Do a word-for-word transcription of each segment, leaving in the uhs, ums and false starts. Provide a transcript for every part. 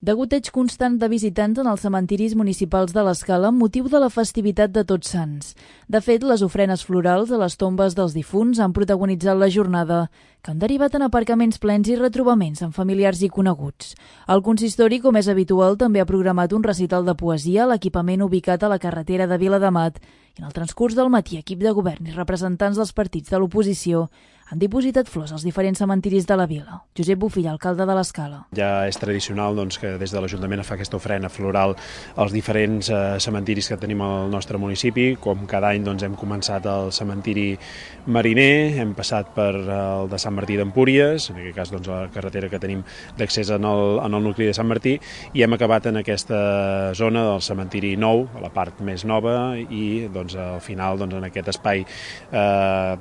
Degoteig constant de visitants en els cementiris municipals de l'Escala amb motiu de la festivitat de Tots Sants. De fet, les ofrenes florals a les tombes dels difunts han protagonitzat la jornada, que han derivat en aparcaments plens i retrobaments amb familiars i coneguts. El consistori, com és habitual, també ha programat un recital de poesia a l'equipament ubicat a la carretera de Viladamat i en el transcurs del matí equip de govern i representants dels partits de l'oposició han dipositat flors als diferents cementiris de la vila. Josep Bofill, alcalde de l'Escala. Ja és tradicional doncs, que des de l'Ajuntament es fa aquesta ofrena floral als diferents eh, cementiris que tenim al nostre municipi. Com cada any doncs, hem començat al cementiri Mariner, hem passat per el de Sant Martí d'Empúries, en aquest cas doncs, la carretera que tenim d'accés en, el, en el nucli de Sant Martí, i hem acabat en aquesta zona del cementiri nou, a la part més nova, i doncs, al final doncs, en aquest espai eh,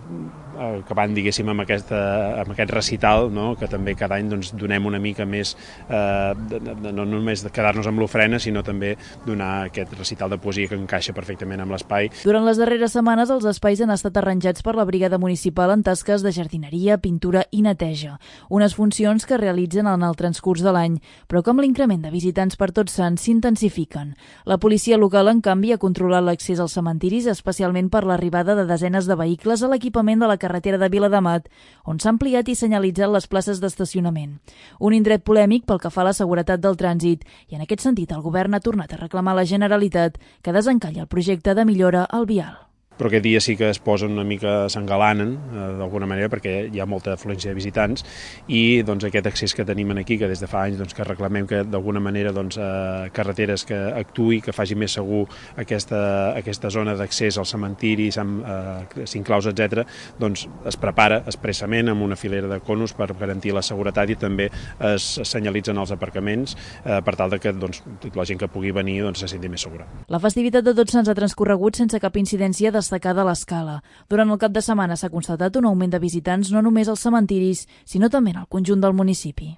acabant, diguéssim, amb, aquesta, amb aquest recital, no? Que també cada any doncs, donem una mica més, eh, de, de, no només de quedar-nos amb l'ofrena, sinó també donar aquest recital de poesia que encaixa perfectament amb l'espai. Durant les darreres setmanes, els espais han estat arranjats per la brigada municipal en tasques de jardineria, pintura i neteja, unes funcions que realitzen en el transcurs de l'any, però com l'increment de visitants per Tots Sants s'intensifiquen. La policia local, en canvi, ha controlat l'accés als cementiris, especialment per l'arribada de desenes de vehicles a l'equipament de la carretera de Viladamat, on s'ha ampliat i senyalitzat les places d'estacionament. Un indret polèmic pel que fa a la seguretat del trànsit, i en aquest sentit el govern ha tornat a reclamar a la Generalitat que desencalli el projecte de millora al vial. Però aquest dia sí que es posen una mica, s'engalanen eh, d'alguna manera, perquè hi ha molta afluència de visitants i doncs, aquest accés que tenim aquí, que des de fa anys doncs, que reclamem que d'alguna manera doncs, eh, carreteres que actuï, que faci més segur aquesta, aquesta zona d'accés al cementiri, eh, cinc claus, etcètera, doncs es prepara expressament amb una filera de conos per garantir la seguretat i també es senyalitzen els aparcaments eh, per tal de que doncs, la gent que pugui venir doncs, se senti més segura. La festivitat de Tots Sants ha transcorregut sense cap incidència de destacada a l'Escala. Durant el cap de setmana s'ha constatat un augment de visitants no només als cementiris, sinó també en el conjunt del municipi.